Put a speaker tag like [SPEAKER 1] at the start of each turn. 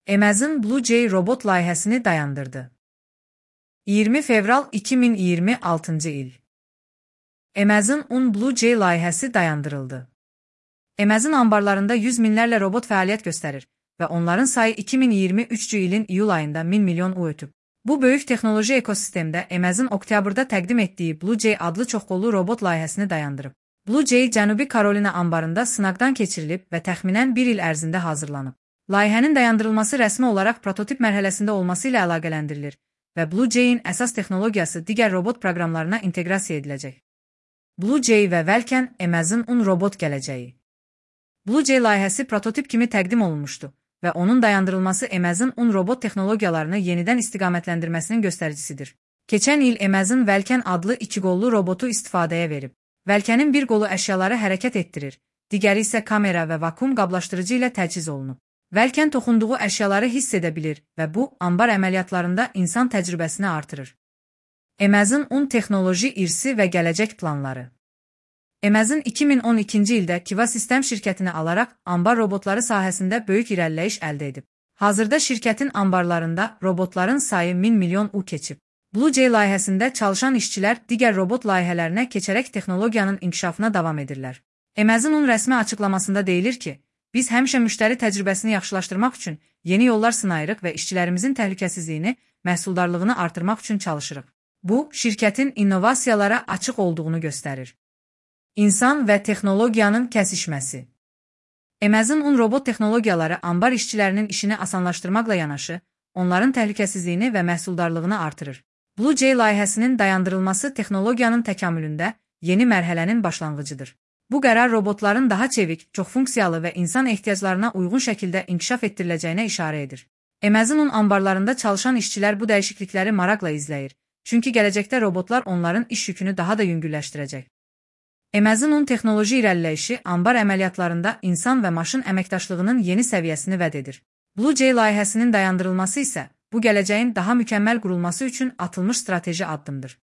[SPEAKER 1] Amazon Blue Jay robot layihəsini dayandırdı. 20 fevral 2026 il. Amazon Blue Jay layihəsi dayandırıldı. Amazon ambarlarında yüz minlərlə robot fəaliyyət göstərir və onların sayı 2023 ilin iyul ayında 1000 milyon ötüb. Bu böyük texnoloji ekosistemdə Amazon oktyabrda təqdim etdiyi Blue Jay adlı çoxqollu robot layihəsini dayandırıb. Blue Jay Cənubi Karolina ambarında sınaqdan keçirilib və təxminən bir il ərzində hazırlanıb. Layihənin dayandırılması rəsmi olaraq prototip mərhələsində olması ilə əlaqələndirilir və Blue Jay'in əsas texnologiyası digər robot proqramlarına inteqrasiya ediləcək. Blue Jay və Vulkan Amazon robot gələcəyi. Blue Jay layihəsi prototip kimi təqdim olunmuşdu və onun dayandırılması Amazon robot texnologiyalarını yenidən istiqamətləndirməsinin göstəricisidir. Keçən il Amazon Vulkan adlı iki qollu robotu istifadəyə verib. Vulkanın bir qolu əşyaları hərəkət etdirir, digəri isə kamera və vakuum qablaşdırıcı ilə təchiz olunub. Vulkan toxunduğu əşyaları hiss edə bilir və bu, ambar əməliyyatlarında insan təcrübəsini artırır. Amazon texnoloji irsi və gələcək planları. Amazon 2012-ci ildə Kiva Sistem şirkətini alaraq ambar robotları sahəsində böyük irəliləyiş əldə edib. Hazırda şirkətin ambarlarında robotların sayı 1000 milyon keçib. Blue Jay layihəsində çalışan işçilər digər robot layihələrinə keçərək texnologiyanın inkişafına davam edirlər. Amazon rəsmi açıqlamasında deyilir ki, biz həmişə müştəri təcrübəsini yaxşılaşdırmaq üçün yeni yollar sınayırıq və işçilərimizin təhlükəsizliyini, məhsuldarlığını artırmaq üçün çalışırıq. Bu, şirkətin innovasiyalara açıq olduğunu göstərir. İnsan və texnologiyanın kəsişməsi. Amazon robot texnologiyaları ambar işçilərinin işini asanlaşdırmaqla yanaşı, onların təhlükəsizliyini və məhsuldarlığını artırır. Blue Jay layihəsinin dayandırılması texnologiyanın təkamülündə yeni mərhələnin başlanğıcıdır. Bu qərar robotların daha çevik, çoxfunksiyalı və insan ehtiyaclarına uyğun şəkildə inkişaf etdiriləcəyinə işarə edir. Amazon ambarlarında çalışan işçilər bu dəyişiklikləri maraqla izləyir, çünki gələcəkdə robotlar onların iş yükünü daha da yüngülləşdirəcək. Amazon texnoloji irəliləyişi ambar əməliyyatlarında insan və maşın əməkdaşlığının yeni səviyyəsini vəd edir. Blue Jay layihəsinin dayandırılması isə bu gələcəyin daha mükəmməl qurulması üçün atılmış strateji addımdır.